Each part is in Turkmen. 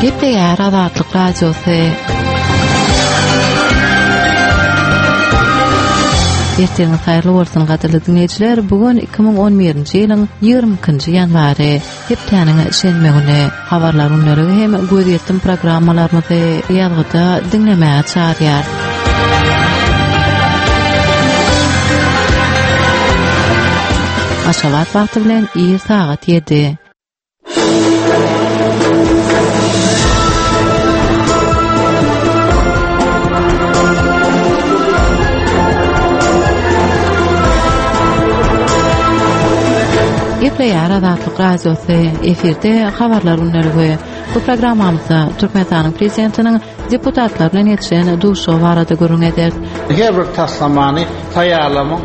Gepleýär Azatlyk Radiosy. Ertiriňiz haýyrly bolsun gadyrly diňleýjiler. Bu gün 2011-nji ýylyň 22-nji ýanwary, hepdäniň şenbe güni. Habarlar gündeligi hem gözýetim programmalarymyzy ýazgyda diňlemäge çagyrýar. Aşgabat wagty bilen ir sagat 7. Gepleýär Azatlyk Radiosy, efirde habarlar gündeligi. Bu programmamyzda Türkmenistanyň Prezidentiniň deputatlar bilen geçiren duşuşygy barada gürrüň ederis. Her bir taslamany taýýarlamagyň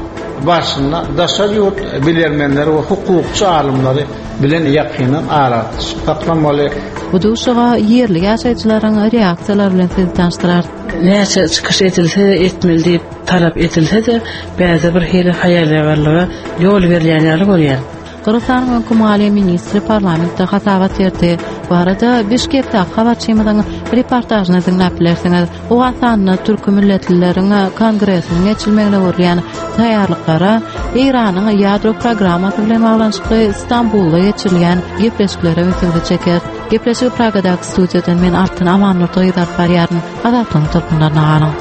barşynda daşary ýurt bilermenleri we hukukçy alymlary bilen ýakyndan aragatnaşyk saklamaly. Bu duşuşyga ýerli ýaşaýjylaryň reaksiýalary bilen sizi tanyşdyrarys. Näçe çykyş edilse-de etmeli diýip talap edilse-de, bärde bir hili haýalýagarlyga ýol berilýän ýaly görýän. Gyrgyzystanyň öňki maliýe ministri parlamentde hasabat berdi. Bu barada Bişkekdäki habarçymyzyň reportažyny diňläp bilersiňiz. Owganystanda türki milletlileriň kongresiniň geçirilmegine görülýän taýýarlyklara, Eýranyň ýadro programmasy bilen baglanyşykly Stambulda geçirilýän gepleşiklere ünsüňizi çekeris. Gepleşigi Pragadaky studiýadan men Altyn Amannurdy gyzy alyp barýaryn. Azatlygyň tolkunlaryna galyň.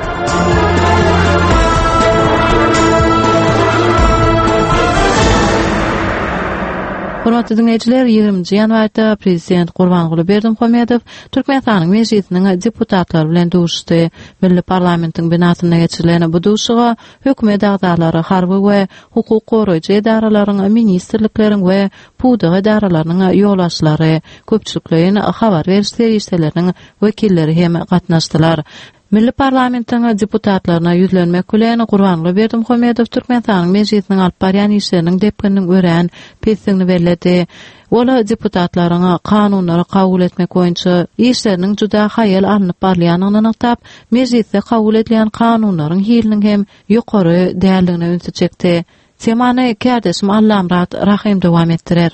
Hormatly diňleýjiler, 20-nji ýanwarda Prezident Gurbanguly Berdimuhamedow Türkmenistanyň Mejlisiniň deputatlary bilen duşuşdy. Milli parlamentiň binasynda geçirilen bu duşuşyga hökümet agzalary, harby we hukuk goraýjy edaralaryň, ministrlikleriň we pudak edaralarynyň ýolbaşçylary, köpçülikleýin habar beriş serişdeleriniň wekilleri hem gatnaşdylar. Milli parlamentiň deputatlaryna ýüzlenmek bilen, Gurbanguly Berdimuhamedow Türkmenistanyň Mejlisiniň alyp barýan işleriniň depgininiň örän pesdigini belledi. Ol deputatlaryň kanunlary kabul etmek boýunça işleriniň juda haýal alnyp barylýandygyny nygtap, Mejlisde kabul edilýän kanunlaryň hiliniň hem ýokary däldigine ünsi çekdi. Temany kärdeşim Allamyrat Rahym dowam etdirer.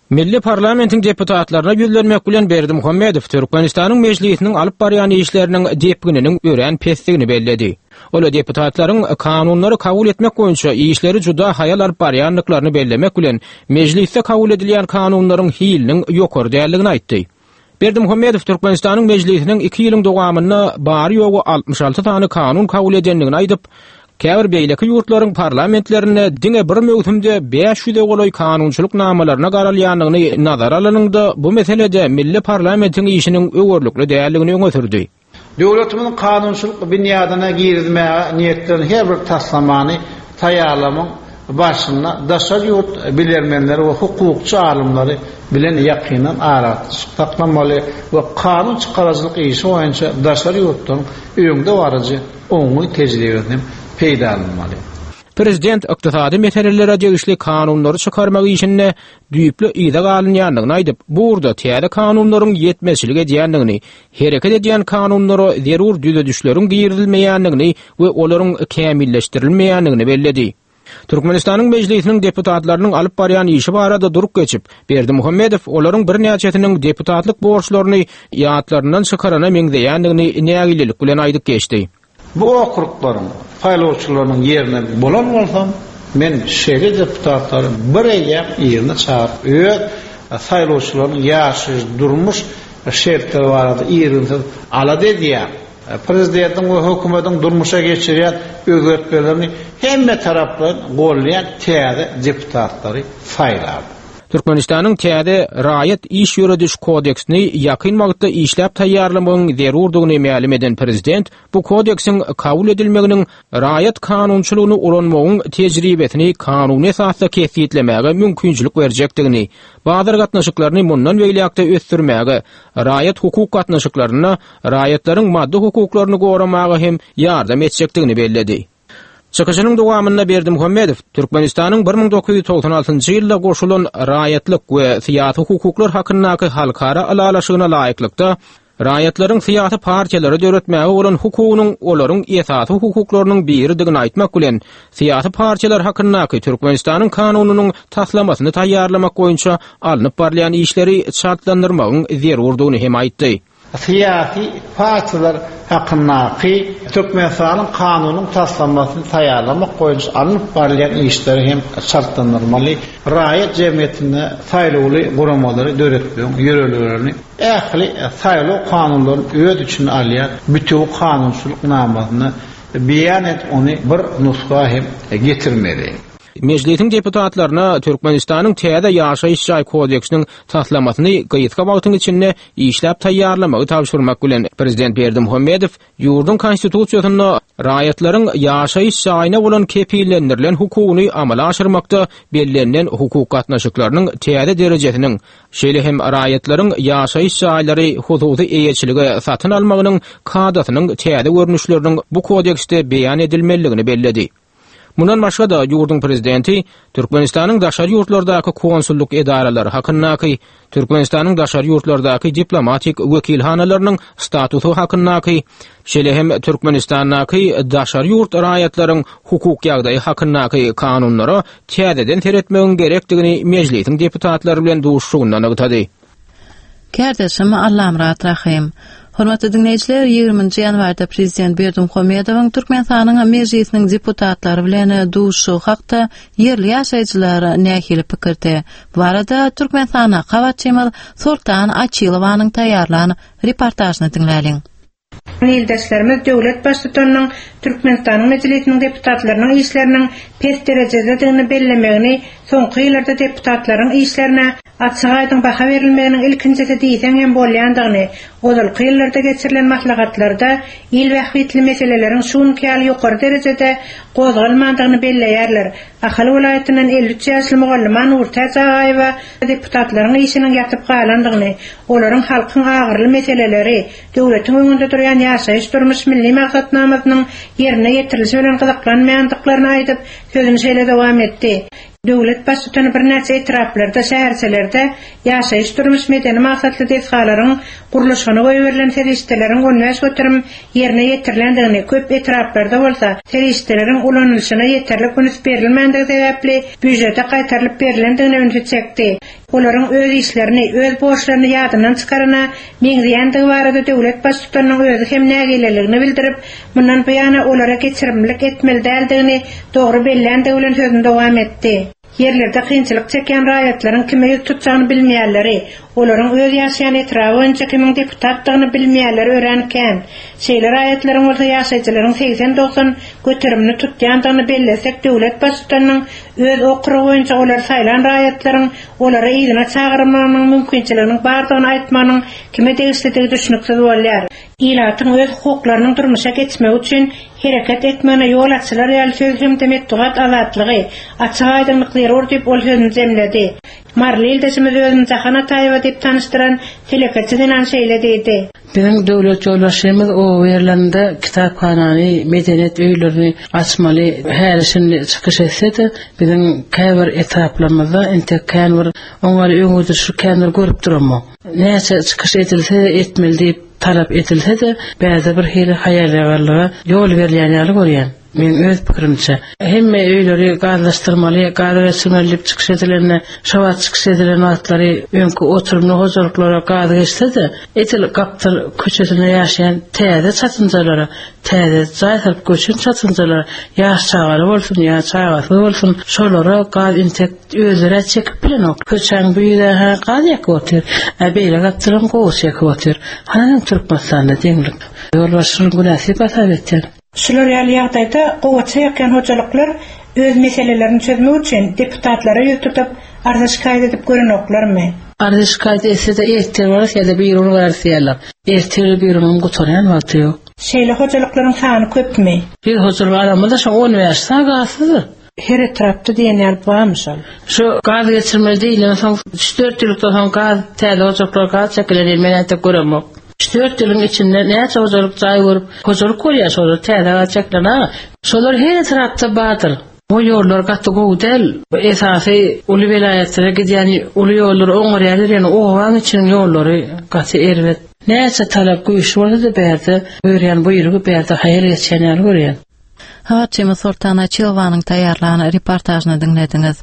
Milli parlamentiň deputatlaryna ýüzlenmek bilen Berdimuhamedow Türkmenistanyň Mejlisiniň alyp barýan işleriniň depgininiň örän pesdigini belledi. Ol deputatlaryň kanunlary kabul etmek boýunça işleri juda haýal alyp barýandyklaryny bellemek bilen, Mejlisde kabul edilýän kanunlaryň hiliniň ýokary däldigini aýtdy. Berdimuhamedow Türkmenistanyň Mejlisiniň iki ýylyň dowamynda bary-ýogy 66 sany kanun kabul edendigini aýdyp, käbir beýleki ýurtlaryň parlamentlerinde diňe bir möwsümde 500-e golaý kanunçylyk namalaryna garalýandygyny nazara alanyňda, bu meselede milli parlamentiň işiniň öwerlikli däldigini öňe sürdi. Döwletimiziň kanunçylyk binýadyna girizmäge niýetlenen her bir taslamany taýýarlamagyň barşynda daşary ýurt bilermenleri we hukukçy alymlary bilen ýakyndan aragatnaşyk saklamaly we kanun çykaryjylyk işi boýunça daşary ýurtlaryň öňdebaryjy oňyn tejribesini hem peýdalanmaly. Prezident ykdysady meselelere degişli kanunlary çykarmak işinde düýpli yza galynýandygyny aýdyp, bu ugurda täze kanunlaryň ýetmezçilik edýändigini, hereket edýän kanunlara zerur düzedişleriň girizilmeýändigini we olaryň kämilleşdirilmeýändigini belledi. Türkmenistanyň Mejlisiniň deputatlarynyň alyp barýan işi barada durup geçip, Berdimuhamedow olaryň birnäçesiniň deputatlyk borçlaryny ýatlaryndan çykarana meňzeýändigini nägilelik bilen aýdyp geçdi. Bu okruglaryň saýlawçylarynyň ýerine bolan bolsam, men şeýle deputatlary bir eýýäm yzyna çagyryp, öz saýlawçylarynyň ýaşaýyş-durmuş şertleri barada irginsiz alada edýän, prezidentiň we hökümetiň durmuşa geçirýän özgertmelerini hemmetaraplaýyn goldaýan täze deputatlary saýlardym. Türkmenistanyň täze Raýat iş ýörediş kodeksini ýakyn wagtda işläp taýýarlamagyň zerurdygyny mälim eden prezident bu kodeksiň kabul edilmeginiň raýat kanunçylygyny ulanmagyň tejribesini kanuny esasda kesgitlemäge mümkinçilik berjekdigini, bazar gatnaşyklaryny mundan beýläk-de ösdürmäge, raýat-hukuk gatnaşyklarynda raýatlaryň maddy hukuklaryny goramaga hem ýardam etjekdigini belledi. Çykyşynyň dowamynda Berdimuhamedow Türkmenistanyň 1996-njy ýylda goşulan Raýatlyk we syýasy hukuklar hakyndaky halkara ylalaşygyna laýyklykda, raýatlaryň syýasy partiýalary döretmäge bolan hukugynyň olaryň esasy hukuklarynyň biridigini aýtmak bilen, syýasy partiýalar hakyndaky Türkmenistanyň Kanunynyň taslamasyny taýýarlamak boýunça alnyp barylýan işleri çaltlandyrmagyň zerurdygyny hem aýtdy. Syýasy partiýalar hakyndaky Türkmenistanyň Kanunyň taslamasyny taýýarlamak boýunça alnyp barylýan işleri hem çaltlandyrmaly, raýat jemgyýetinde saýlawly guramalary döretmegiň ýörelgelerini ähli saýlaw kanunlaryny öz içine alýan bitewi kanunçylyk namasyna beýan edip, ony bir nusga hem getirmeli. Mejlisiň deputatlaryna Türkmenistanyň täze Ýaşaýyş jaý kodeksiniň taslamasyny gysga wagtyň içinde işläp taýýarlamagy tabşyrmak bilen, prezident Berdimuhamedow ýurduň Konstitusiýasynda raýatlaryň ýaşaýyş jaýyna bolan kepillendirilen hukugyny amala aşyrmakda bellenilen hukuk gatnaşyklarynyň täze derejesiniň, şeýle hem raýatlaryň ýaşaýyş jaýlary hususy eýeçilige satyn almagynyň kadasynyň täze görnüşleriniň bu kodeksde beýan edilmelidigini belledi. Mundan başga-da, ýurduň Prezidenti Türkmenistanyň daşary ýurtlardaky konsullyk edaralary hakyndaky, Türkmenistanyň daşary ýurtlardaky diplomatik wekilhanalarynyň statusy hakyndaky, şeýle hem Türkmenistandaky daşary ýurt raýatlaryň hukuk ýagdaýy hakyndaky kanunlara täzeden seretmegiň gerekdigini Mejlisiň deputatlary bilen duşuşygynda nygtady. Kärdeşim Allamyrat Rahym. Hormatly diňleýjiler, 20-nji ýanwarda Prezident Berdimuhamedowyň Türkmenistanyň Mejlisiniň deputatlary bilen duşuşygy hakda ýerli ýaşaýjylar nähili pikirde? Bu barada Türkmenistana habarçymyz Soltan Açylowanyň taýýarlan reportažyny diňläliň. Ildeşlerimiz döwlet Baştutanynyň Türkmenistanyň Mejlisiniň deputatlarynyň işleriniň pes derejededigini bellemegini soňky ýyllarda deputatlaryň işlerine açyk-aýdyň baha berilmeginiň ilkinjisi diýseň hem bolýandygyny, ozalky ýyllarda geçirilen maslahatlarda il bähbitli meseleleriň şu günki ýaly ýokary derejede gozgalmandygyny belleýärler. Ahal welaýatyndan 53 ýaşly mugallyma Nurtäç Agaýewa deputatlaryň işiniň ýatyp galandygyny, olaryň halkyň agyryly meseleleri, döwletiň öňünde durýan ýaşaýyş-durmuş milli maksatnamasynyň ýerine ýetirilişi bilen gyzyklanmaýandyklaryny aýdyp, sözüni şeýle dowam etdi, Döwlet Baştutany birnäçe etraplarda, şäherçelerde ýaşaýyş-durmuş-medeni maksatly desgalaryň gurluşygyna goýberilen serişdeleriň 15% ýerine ýetirilendigini, köp etraplarda bolsa serişdeleriň ulanylyşyna ýeterlik üns berilmändigi sebäpli býujete gaýtarylyp berlendigine ünsi çekdi. Olaryň öz işlerini, öz borçlaryny ýadyndan çykarana meňzeýändigi barada döwlet Baştutanynyň özi hem nägileligini bildirip, mundan buýana olara geçirimlilik etmeli däldigini dogry belländigi bilen sözüni dowam etdi. Ýerlerde kynçylyk çekýän raýatlaryň kime ýüz tutjagyny bilmeýänleri, olaryň öz ýaşaýan etraby boýunça kimiň deputatdygyny bilmeýänleri örän kän. Şeýle raýatlaryň bolsa ýaşaýjylaryň segsen-dogsan göterimini tutýandygyny bellesek döwlet Baştutanynyň Öz okrugy boýunça olary saýlan raýatlaryň olary yzyna çagyrmagynyň mümkinçiliginiň bardygyny aýtmagynyň kime degişlidigi düşnüksiz bolýar. Ilatyň öz hukuklarynyň durmuşa geçmegi üçin hereket etmegine ýol açylar ýaly söz hem-de metbugat azatlygy, açyk-aýdyňlyk zerur diýip, ol sözüni jemledi. Maryly ildeşimiz özüni Jahan Ataýewa diýip tanyşdyran telekeçi zenan şeýle diýdi. Biziň döwlet ýolbaşçymyz oba ýerlerinde kitaphanany, medeniýet öýlerini açmaly häli-şindi çykyş etse-de, biziň käbir etraplarymyzda entek kän bir oňaly öňegidişlik kän bir görüp duramok. Näçe çykyş edilse-de etmeli diýip talap edilse-de, bärde bir hili haýal-ýagallyga ýol berilýän ýaly görýän. Meň öz pikirimçe, hemme öýleri gazlaşdyrmaly, gaza geçirmeli diýip çykyş edilende, şo wagt çykyş edilen wagtlary öňki oturymly hojalyklara gaz geçse-de, edil gapdal köçesinde ýaşaýan täze çatynjalara, täze jaý salyp göçen çatynjalara, ýaş çagaly bolsun ýa çagasyz bolsun, şolara gaz intek özleri-ä çekip bilenok. Köçäň bu ýüzä-hä gaz ýakyp otyr, ä beýle gapdalam gowy çekip otyr. Hany Türkmenistanda deňlik? Ýolbaşçynyň günäsi diýip hasap etýän. Şular ýaly ýagdaýda gowaça ýakýan hojalyklar öz meselelerini çözmek üçin deputatlara ýüz tutup, arza-şikaýat edip görenoklarmy? Arza-şikaýat etse-de ertir bararys ýa-da birigün bararys diýýärler. Ertir birigüniň gutarýan wagty ýok. Şeýle hojalyklaryň sany köpmi? Bir hojalyk aramyzda şo 15 sany gazsyzdyr. Her etrapda diýen ýaly barmy şol? Şu gaz geçirmeli diýilen soň üç-dört ýyllykdan soň gaz täze ojaklara gaz çekilen diýen men entek göremok. Üç-dört ýylyň içinde näçe hojalyk jaý görüp hojalyk bolýar şolar täze gaz çekilen aga. Şolar her etrapda bardyr. O ýollar gaty gowy däl. Esasy uly welaýatlara gidýän uly ýollary oňarýarlar ýöne obaň içiniň ýollary gaty erbet. Näçe talap güýçli bolsa-da bärde buýurýan buýrugy bärde haýal geçýän ýaly görýän. Habarçymyz Soltan Açylowanyň taýýarlan reportažyny diňlediňiz.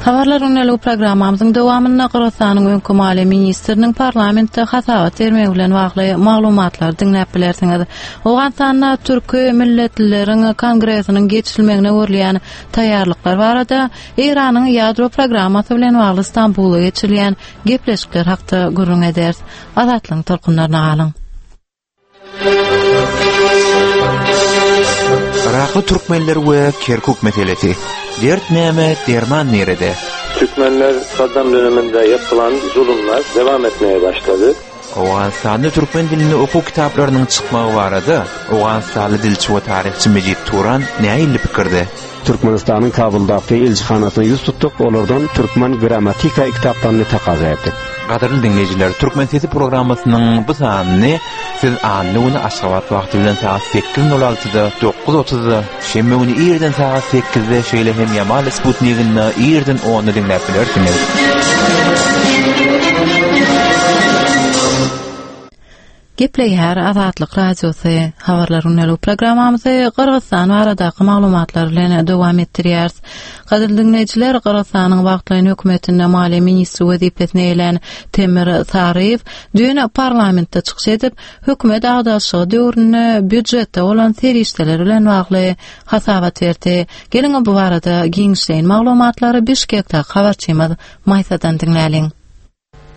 Habarlar gündeligi programmamyzyň dowamynda Gyrgyzystanyň öňki maliýe ministriniň parlamentde hasabat bermegi bilen bagly maglumatlary diňläp bilersiňiz. Owganystanda türki milletlileriň kongresiniň geçirilmegine görülýän taýýarlyklar barada Eýranyň ýadro programmasy bilen bagly Stambulda geçirilýän gepleşikler hakda gürrüň ederis. Azatlygyň tolkunlaryna galyň. Yrakly türkmenler we Kerkuk meselesi. Dert näme, derman nirede? Türkmenler Saddam döneminde yapılan zulümler devam etmeye başlady. Owganystanda türkmen dilinde okuw kitaplarynyň çykmagy barada owganystanly dilçi we taryhçy Mejit Turan nähili pikirde? Türkmenistanyň Kabuldaky ilçihanasyna ýüz tutduk, olardan türkmen grammatika kitaplaryny takaza etdik. Gadyrly diňleýjiler, Türkmen sesi programmasynyň bu sanyny siz anna güni Aşgabat wagty bilen sagat sekiz nol altyda, dokuz otuzda, şenbe güni irden sagat sekizde, şeýle hem Ýamal sputniginde irden onda diňläp bilersiňiz. Gepleýär Azatlyk Radiosy, Habarlar gündelik programmamyzy Gyrgyzystan baradaky maglumatlar bilen dowam etdirýäris. Gadyrly diňleýjiler, Gyrgyzystanyň wagtlaýyn hökümetinde maliýe ministri wezipesini eýelän Temir Saryýew düýn parlamentde çykyş edip, hökümet agdaryşygy döwründe býujetde bolan serişdeler bilen bagly hasabat berdi. Geliň, bu barada giňişleýin maglumatlary Bişkekdäki habarçymyz Maýsadan diňläliň.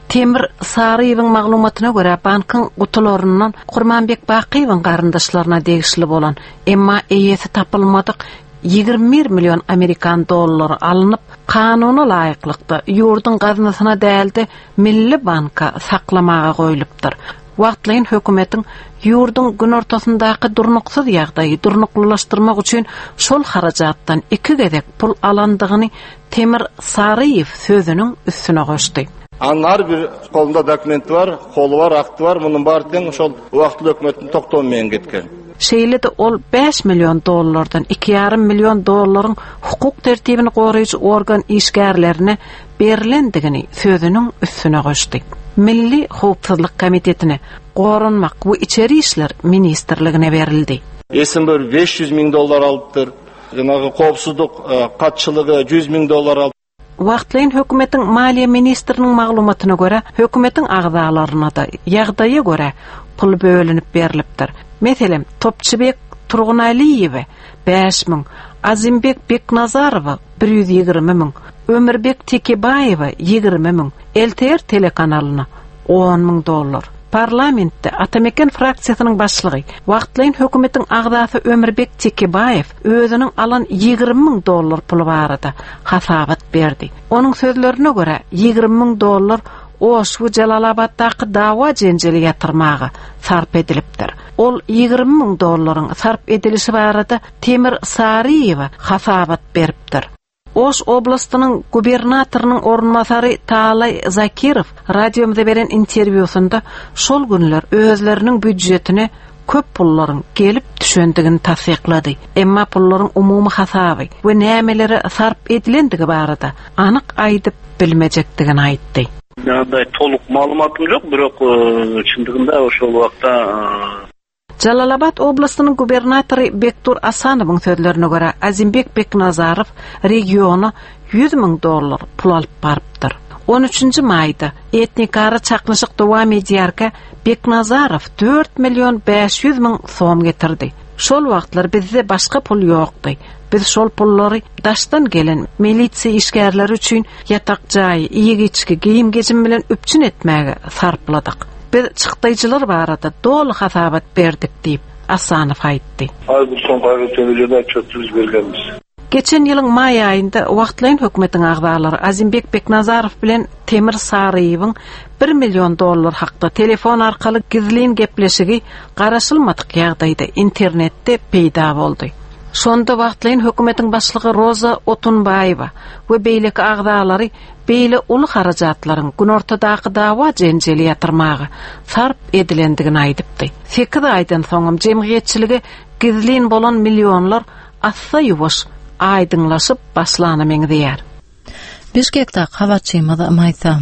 Temir Saryýewiň maglumatyna görä, bankyň gutularyndan Kurmanbek Bakyýewiň garyndaşlaryna degişli bolan, emma eýesi tapylmadyk 21 million amerikan dollary alnyp, kanuna laýyklykda ýurduň gaznasyna däl-de, Milli banka saklamaga goýlupdyr. Wagtlaýyn hökümetiň ýurduň günortasyndaky durnuksyz ýagdaýy durnuklylaşdyrmak üçin şol harajatdan iki gezek pul alandygyny Temir Saryýew sözüniň üstüne goşdy. Anyn har bir kolunda dokumenti bar, koly bar, akty bar, munuň bary teň şol wagtly hökümetiň toktawy menen gitgen. Şeýle-de ol bäş million dollardan iki ýarym million dollaryň hukuk tertibini goraýjy organ işgärlerine berlendigini sözüniň üstüne goşdy. Milli howpsuzlyk komitetine, Goranmak we içeri işler ministrligine berildi. Esin bir 500 miň dollar alypdyr. Janagy howpsuzlyk gatçylygy 100 miň dollar alypdyr. Wagtlaýyn hökümetiň maliýe ministriniň maglumatyna görä, hökümetiň agzalaryna-da ýagdaýa görä pul bölünip berlipdir. Meselem, Topçybek Turgunalyýewe 5000, Azimbek Beknazarowa 120 müň, Ömürbek Tekebaýewe 20 müň, LTR telekanalyna on müň dollar. Parlamentde Atameken fraksiýasynyň başlygy, wagtlaýyn hökümetiň agzasy Ömürbek Tekebaýew özüniň alan 20 müň dollar puly barada hasabat berdi. Onuň sözlerine görä, 20 müň dollar Oş we Jelalabatdaky dawa-jenjeli ýatyrmaga sarp edilipdir. Ol 20 müň dollaryň sarp edilişi barada Temir Saryýewe hasabat beripdir. Oş oblastynyň gubernatorynyň orunbasary Taalaý Zakirow radiomyza beren interwýusynda şol günler özleriniň býudjetine köp pullaryň gelip düşendigini tassyklady. Emma pullaryň umumy hasaby we nämelere sarp edilendigi barada anyk aýdyp bilmejekdigini aýtdy. Андай толук маалыматым жок, бирок чындыгында ошол убакта Jalalabat oblastynyň gubernatory Bekdur Asanowyň sözlerine görä, Azimbek Beknazarow regiona 100 müň dollar pul alyp barypdyr. 13-nji maýda etnikara çaknyşyk dowam edýärkä, Beknazarow 4 million 500 müň som getirdi. Şol wagtlar bizde başga pul ýokdy. Biz şol pullary daşdan gelen milisiýa işgärleri üçin ýatak jaýy, iýgi-içgi, geýim-gejim bilen üpjün etmäge sarpladyk. Biz çykdaýjylar barada doly hasabat berdik diýip, Asanow aýtdy. Har bir som gaýratany jeda çöpdüriz bergenmiz. Geçen ýylyň maý aýynda wagtlaýyn hökümetiň agzalary Azimbek Beknazarow bilen Temir Saryýewiň bir million dollar hakda telefon arkaly gizlin gepleşigi garaşylmadyk ýagdaýda internetde peýda boldy. Şonda wagtlaýyn hökümetiň başlygy Roza Otunbaýewa we beýleki agzalary beýle uly harajatlaryň günortadaky dawa-jenjeli ýatyrmaga sarp edilendigini aýdypdy. Sekiz aýdan soňam jemgyýetçilige gizlin bolan millionlar assa-ýuwaş aýdyňlaşyp başlana meňzeýär. Bişkekdäki habarçymyz Maýsa.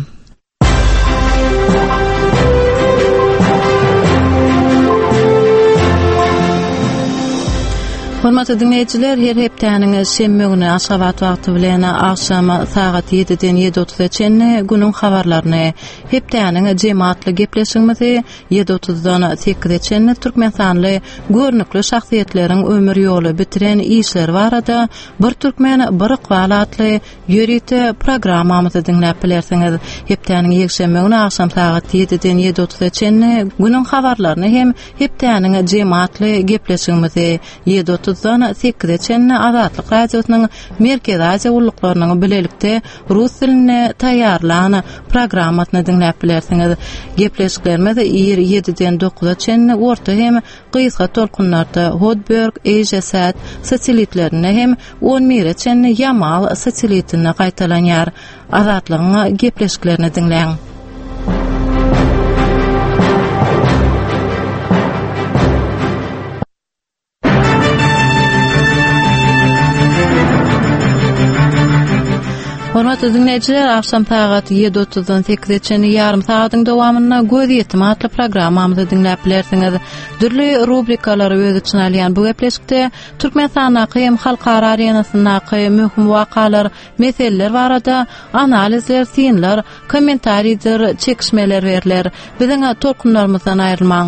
Hormatly diňleýjiler, her hepdäniň şenbe güni Aşgabat wagty bilen agşam sagat 7-den 7:30-a çenli günüň habarlaryny, hepdäniň jemi atly gepleşigimizi 7:30-dan 8-e çenli türkmenistanly görnükli şahsyýetleriň ömür ýoly, bitiren işleri barada Bir türkmen, bir ykbal atly ýörite programmamyzy diňläp bilersiňiz. Hepdäniň ýekşenbe güni agşam sagat 7-den 7:30-a çenli günüň habarlaryny hem hepdäniň jemi atly gepleşigimizi 7:30-dan 8-e çenli Azatlyk Radiosynyň Merkezi Aziýa gulluklarynyň bilelikde rus dilinde taýýarlan programmasyny diňläp bilersiňiz. Gepleşiklerimiz ir 7-den 9-a çenli orta hem gysga tolkunlarda Hotbird, AsiaSat satelitlerinde hem on bire çenli Ýamal satelitinde gaýtalanýar. Azatlygyň gepleşiklerini diňläň. Hormatly diňleýjiler, agşam sagat 7:30-dan 8-e çenli ýarym sagadyň dowamynda Göz ýetim atly programmamyzy diňläp bilersiňiz. Dürli rubrikalary öz içine alýan bu gepleşikde Türkmenistandaky hem halkara arenasyndaky möhüm wakalar, meseleler barada analizler, synlar, kommentariýdir çekişmeler berler. Biziň tolkunlarymyzdan aýrylmaň.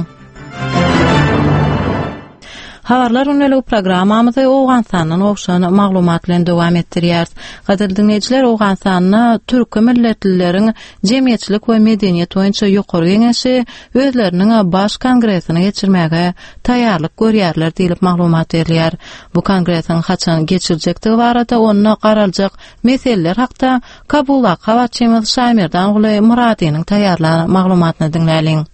Habarlar gündeligi programmamyzy Owganystandan gowşan maglumat bilen dowam etdirýäris. Gadyrly diňleýjiler, Owganystanda türki milletlileriň jemgyýetçilik we medeniýet boýunça ýokary geňeşi özleriniň baş kongresini geçirmäge taýýarlyk görýärler diýlip maglumat berilýär. Bu kongresiň haçan geçiriljekdigi barada onda garaljak meseleler hakda Kabuldaky habarçymyz Şaýmerdanguly Myradynyň taýýarlan maglumatyny diňläliň.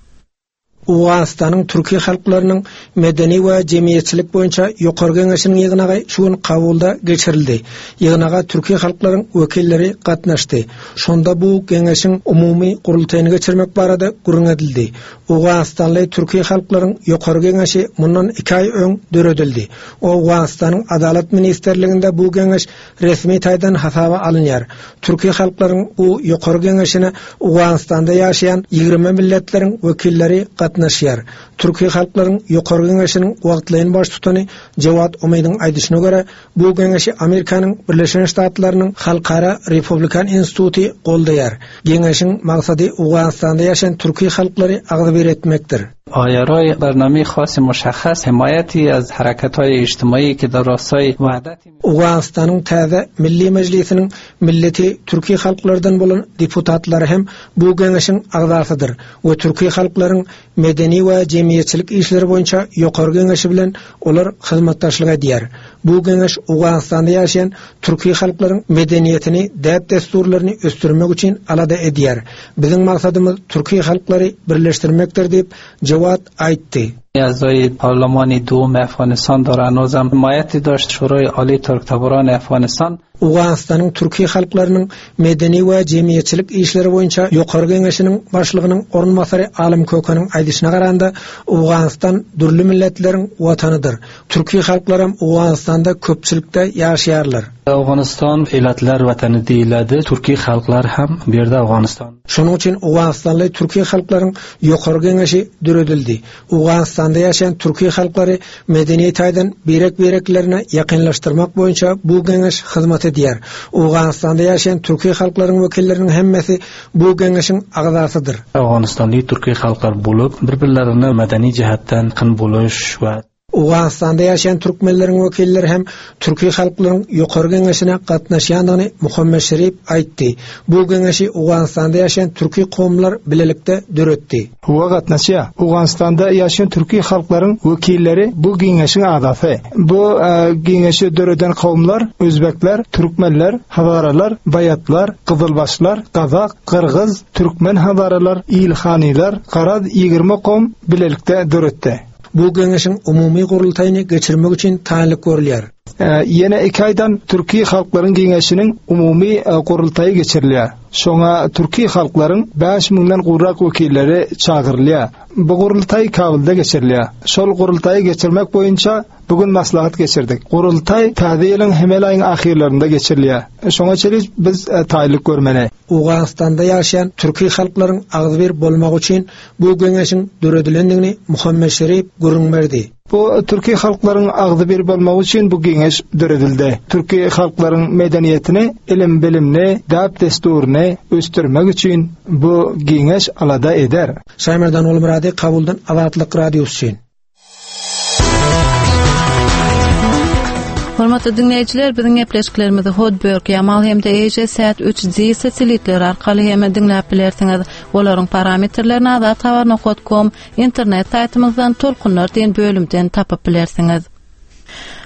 Owganystanyň türki halklarynyň medeni we jemgyýetçilik boýunça Ýokary Geňeşiniň ýygnagy şu gün Kabulda geçirildi. Ýygnaga türki halklaryň wekilleri gatnaşdy. Şonda bu geňeşiň umumy gurultaýyny geçirmek barada gürrüň edildi. Owganystanly türki halklaryň Ýokary Geňeşi mundan iki aý öň döredildi. Owganystanyň Adalat ministrliginde bu geňeş resmi taýdan hasaba alynýar. Türki halklaryň bu Ýokary Geňeşine Owganystanda ýaşaýan 20 milletleriň wekilleri gatnaşýar. Türki halklaryň Ýokary Geňeşiniň wagtlaýyn baştutany Jewad Umydyň aýdyşyna görä, bu geňeşi Amerikanyň Birleşen Ştatlarynyň Halkara Republikan instituty goldaýar. Geňeşiň maksady Owganystanda ýaşaýan türki halklary agzybir etmekdir. IRI برنامه خاص مشخص حمایتی از حرکت های اجتماعی که در راستای وحدت Owganystanyň täze Milli Mejlisiniň milleti türki halklardan bolan deputatlary hem bu geňeşiň agzasydyr we türki halklaryň medeni we jemgyýetçilik işleri boýunça Ýokary Geňeşi bilen olar hyzmatdaşlyk edýär. Bu geňeş Owganystanda ýaşaýan türki halklaryň medeniýetini, däp-dessurlaryny ösdürmek üçin alada edýär. Biziň maksadymyz türki halklary birleşdirmekdir diýip, Jawad aýtdy. اعضای پارلمان دوم افغانستان داره هنوزم حمایت داشت شورای عالی ترک افغانستان Owganystanyň türki halklarynyň medeni we jemgyýetçilik işleri boýunça Ýokary Geňeşiniň başlygynyň orunbasary Alym Kökeniň aýdyşyna garanda, Owganystan dürli milletleriň watanydyr. Türki halklaram Owganystanda köpçülikde ýaşaýarlar. Owganystan ilatlar watany diýiledi. Türki halklar hem bu ýerde Owganystan. Şonuň üçin owganystanly türki halklaryň Ýokary Geňeşi döredildi. Owganystanda ýaşaýan türki halklary medeni taýdan birek-bireklerine ýakynlaşdyrmak boýunça bu geňeş hyzmat edýär. Owganystanda ýaşaýan türki halklaryň wekilleriniň hemmesi bu geňeşiň agzasydyr. Owganystanly türki halklar bolup, bir-birlerine medeni jähetden ýakyn boluş we. Owganystanda ýaşaýan türkmenleriň wekilleri hem türki halklaryň Ýokary Geňeşine gatnaşýandygyny Muhammet Şerip aýtdy. Bu geňeşi Owganystanda ýaşaýan türki kowumlar bilelikde döretdi. Hawa gatnaşýar. Owganystanda ýaşaýan türki halklaryň wekilleri bu geňeşiň agzasy. Bu geňeşi döreden kowumlar özbekler, türkmenler, hazaralar, baýatlar, gyzylbaşlar, gazak, gyrgyz, türkmen hazaralar, ilhanylar, garaz 20 kowum bilelikde döretdi. Bu geňeşiň umumy gurultaýyny geçirmek üçin taýynlyk görülýär. Ýene iki aýdan Türki halklaryň geňeşiniň umumy gurultaýy geçirilýär. Şoňa türki halklaryň bäş müňden gowrak wekilleri çagyrylýar. Bu gurultaý Kabulda geçirilýär. Şol gurultaýy geçirmek boýunça bu gün maslahat geçirdik. Gurultaý täze ýylyň hemel aýyň ahyrlarynda geçirilýär. Şoňa çenli biz taýynlyk görmeli. Owganystanda ýaşaýan türki halklaryň agzybir bolmagy üçin Bu geňeşiň döredilendigini Muhammet Şerip gürrüň berdi. Bu türki halklaryň agzybir bolmagy üçin bu geňeş döredildi. Türki halklaryň medeniýetini, ilim-bilimini, däp-dessuryny ösdürmek üçin bu geňeş alada eder. Şaýmerdan Gulmyrady, Kabuldan Azatlyk Radiosy üçin. Hormatly diňleýjiler, biziň gepleşiklerimizi Hotbird, Yamal hem-de AsiaSat 3D satelitleri arkaly hem diňläp bilersiňiz. Olaryň parametrlerini azathabar.com internet saýtymyzdan Tolkunlar diýen bölümden tapyp bilersiňiz.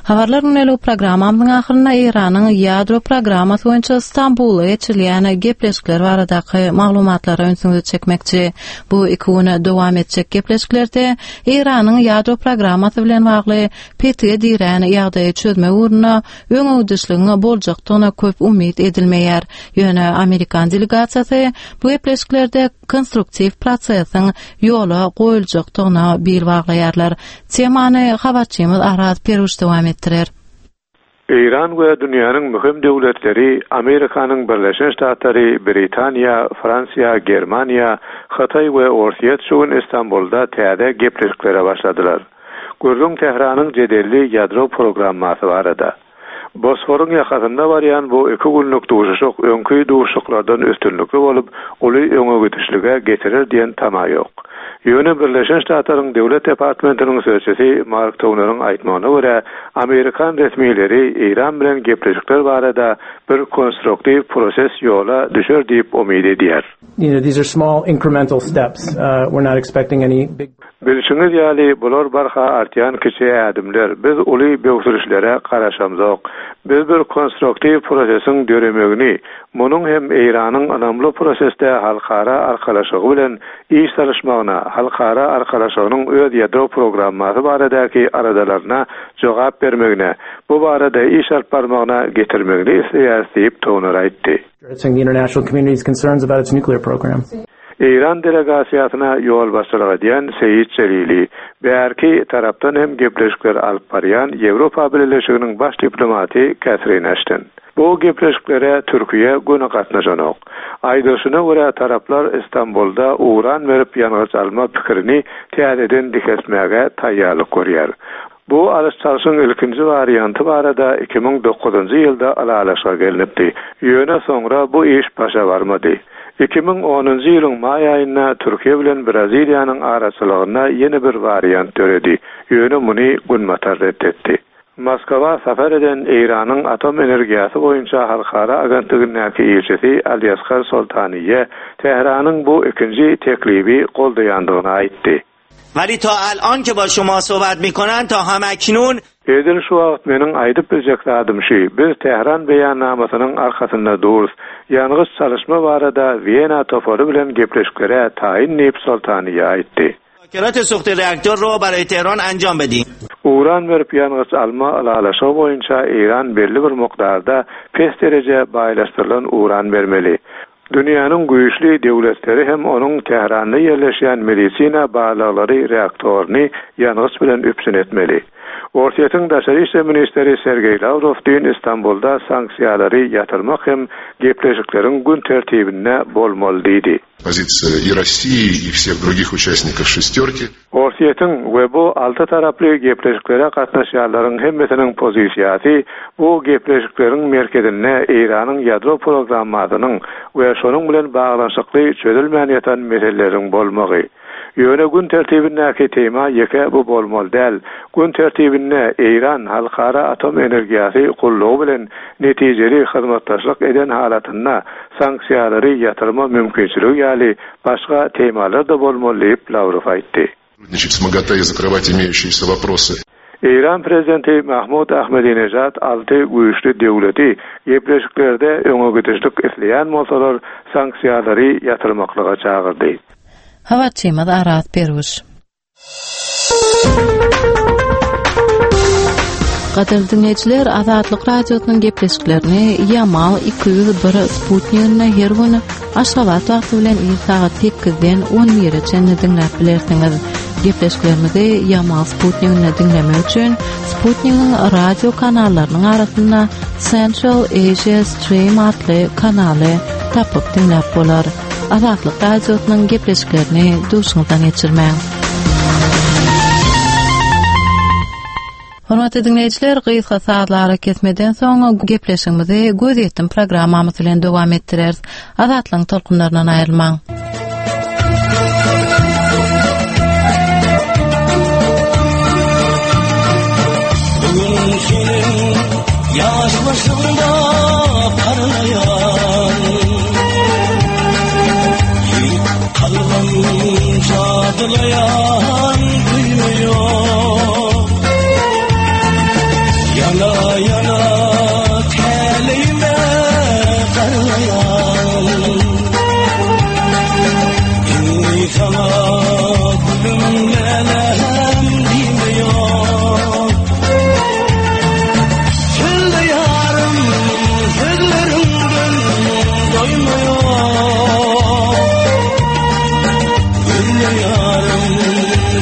Habarlar gündelik programmamyzyň ahyrynda Eýranyň ýadro programmasy boýunça Stambulda geçirilýän gepleşikler baradaky maglumatlara ünsüňizi çekmekçi. Bu iki güne dowam etjek gepleşiklerde Eýranyň ýadro programmasy bilen bagly petige dirän ýagdaýy çözmek ugrunda öňegidişligiň boljakdygyna köp umyt edilmeýär. Ýöne amerikan delegasiýasy bu gepleşiklerde konstruktiw prosesiň ýola goýuljakdygyna bil baglaýarlar. Temany habarçymyz Araz Peruş dowam etdirer. Eýran we dünýäniň möhüm döwletleri Amerikanyň Birleşen Ştatlary, Britaniýa, Fransiýa, Germaniýa, Hytaý we Orsýet şu gün Istanbulda täze gepleşiklere başladylar. Gürrüň Tähranyň jedelli ýadro programmasy barada. Bosforyň ýakasynda barýan bu iki günlük duşuşyk öňki duşuşyklardan üstünlikli bolup, uly öňegidişlige getirer diýen tama ýok. Ýöne Birleşen Ştatlaryň Döwlet departmentiniň sözçüsi Mark Towneriň aýtmagyna görä, amerikan resmileri Eýran bilen gepleşikler barada bir konstruktiw proses ýola düşer diýip umyt edýär. You know, these are small incremental steps. Uh, we're not expecting any big Bilşiňiz ýaly, bular barha artýan kiçi ädimler. Biz uly böwsülişlere garaşamzok. Biz bir konstruktiw prosesiň döremegini, munuň hem Eýranyň ynamly prosesde halkara arkalaşygy bilen iş salyşmagyna, halkara arkalaşygynyň öz ýadro programmasy baradaky aladalaryna jogap bermegine, bu barada iş alyp barmagyna getirmegini isleýäris diýip, Toner aýtdy. Eýran delegasiýasyna ýolbaşçylyk edýän Seýit Jelili, bärki tarapdan hem gepleşikleri alyp barýan Ýewropa Bileleşiginiň baş diplomaty Kätrin Eşton. Bu gepleşiklere Türkiýe göni gatnaşanok. Aýdylyşyna görä, taraplar Istanbulda uran berip ýangyç alma pikirini täzeden dikeltmäge taýýarlyk görýär. Bu alyş-çalşyň ilkinji warianty barada 2009-njy ýylda ylalaşyga gelnipdi. Ýöne soňra bu iş başa barmady. 2010-njy ýylyň maý aýynda Türkiýe bilen Braziliýanyň araçylygynda ýene bir wariant döredi, ýöne muny Günbatar ret etdi. Moskwa sapar eden Eýranyň Atom energiýasy boýunça halkara agentligindäki ilçisi Aliasgar Soltaniýe Tähranyň bu ikinji teklibi goldaýandygyny aýtdy. ولی تا الان که با شما صحبت میکنن تا هم اکنون Edil şu wagt meniň aýdyp biljek zadym şü, biz Tähran beýannamasynyň arkasynda durus. Ýangyç çalyşma barada Wena topary bilen gepleşiklere taýyn diýip Soltaniýa aýtdy. مذاکرات سوخت reaktor رو برای تهران انجام بدیم. Uran berip ýangyç alma ylalaşygy boýunça Eýran belli bir mukdarda pes dereje baýlaşdyrylan uran bermeli. Dünýäniň güýçli döwletleri hem onuň Tähranda ýerleşýän medisina barlaglary reaktoryny ýangyç bilen üpjün etmeli. Orsýetiň daşary işler ministri Sergeý Lawrow düýn Istanbulda sanksiýalary ýatyrmak hem gepleşikleriň gün tertibinde bolmaly diýdi. Pozisiýa i Rossiýi, i wseh drugih uçastnikow şestýorki. Orsýetiň we bu alty taraply gepleşiklere gatnaşýanlaryň hemmesiniň pozisiýasy bu gepleşikleriň merkezinde Eýranyň ýadro programmasynyň we şonuň bilen baglanyşykly çözülmän ýatan meseleleriň bolmagy. Ýöne gün tertibindäki tema ýeke bu bolmaly däl. Gün tertibinde Eýran Halkara atom energiýasy gullugy bilen netijeli hyzmatdaşlyk eden halatynda sanksiýalary ýatyrma mümkinçiligi ýaly başga temalar-da bolmaly diýip, Lawrow aýtdy. Eýran prezidenti Mahmud Ahmedinejad alty güýçli döwleti gepleşiklerde öňe gidişlik isleýän bolsalar, sanksiýalary ýatyrmaklyga çagyrdy. Habarçymyz Araz Perwiş. Gadyrly diňleýjiler, Azatlyk Radiosynyň gepleşiklerini Ýamal 201 sputniginde her gün Aşgabat wagty bilen ir sagat 8-den 11-e çenli diňläp bilersiňiz. Gepleşiklerimizi Ýamal sputniginde diňlemek üçin sputnigiň radio kanallarynyň arasynda Central Asia Stream atly kanaly tapyp diňläp bolar. Azatlyk Radiosynyň gepleşiklerini duşuňyzdan geçirmäň. Hormatly diňleýjiler, gysga sazly arakesmeden soň gepleşigimizi Gözýetim programmamyz bilen dowam etdireris. Azatlygyň tolkunlaryndan aýrylmaň. Bugün seniň ýaş başyňda parlaýan Ýigit kalbym jadylaýan duýma ýok Ýana ýana täleýime garlaýan Indi saňa gülüm läläm diýme ýok Sözle ýarym sözleriňden doýma ýok Gülle ýarym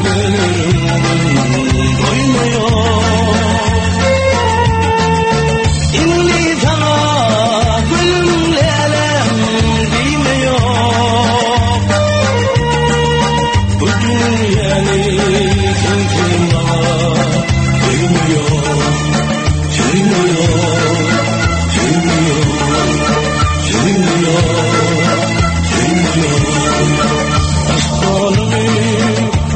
gülleriňden doýma ýok Indi saňa gülüm läläm diýme ýok Bu dünýäni sensiz maňa söýme ýok Söýme ýok Söýme ýok Söýme ýok Söýme ýok Aşk donuny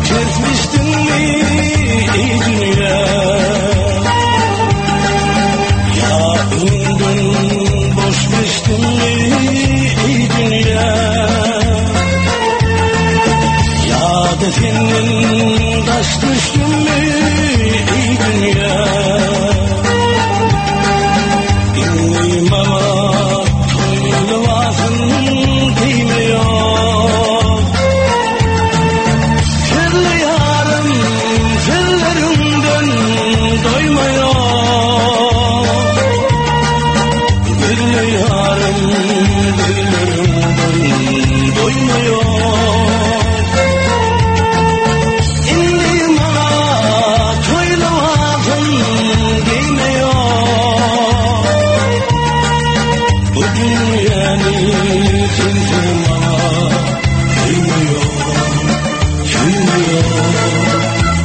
kesmişdiňmi eý dünýä Ýa öňden boş geçdiňmi eý dünýä Ýa-da senden daş düşdümmi eý dünýä Indi maňa toý lybasyn geýme ýok Sözle ýarym sözleriňden doýma ýok Gülle ýarym gülleriňden doýma ýok Indi maňa toý lybasyn geýme ýok Bu dünýäni sensiz maňa söýme ýok Söýme ýok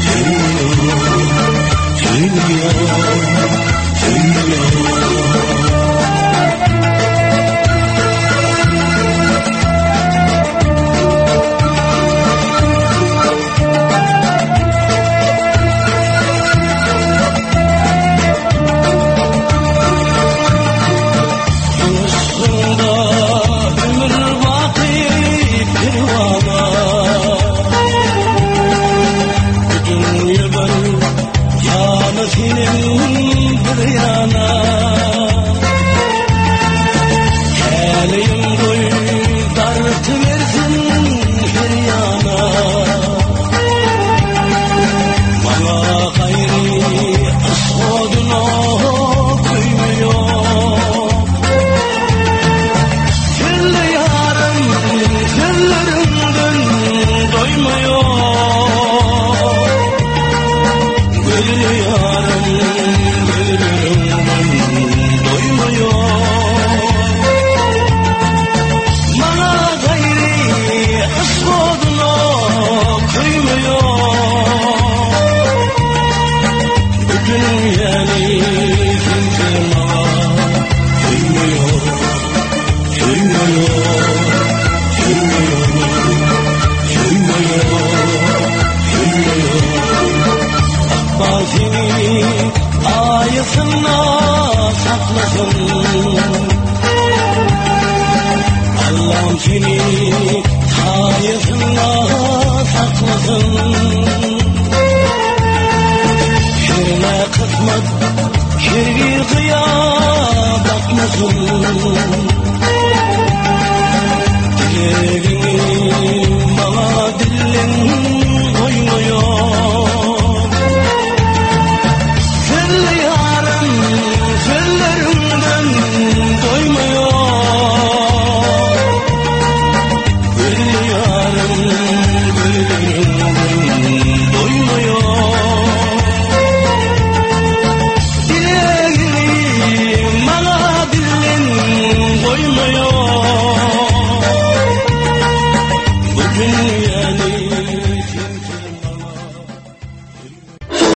Söýme ýok Söýme ýok Söýme ýok Yşkyňda ömür baky perwana Bu dünýe bir ýana senem bir ýana Täleýim goý dartybersin her ýana Maňa gaýry yşk oduna köýme ýok Sözle ýarym sözleriňden doýma ýok Gözle ýarym gözleriňden doýma ýok Maňa gaýry yşk oduna köýme ýok Bu dünýäni sensiz maňa söýme ýok Söýme ýok Söýme ýok Söýme ýok Söýme ýok Ykbal seni aýasynda saklasyn Allam seni saýasynda saklasyn Herne kysmat hergiz gyýa bakmasyn.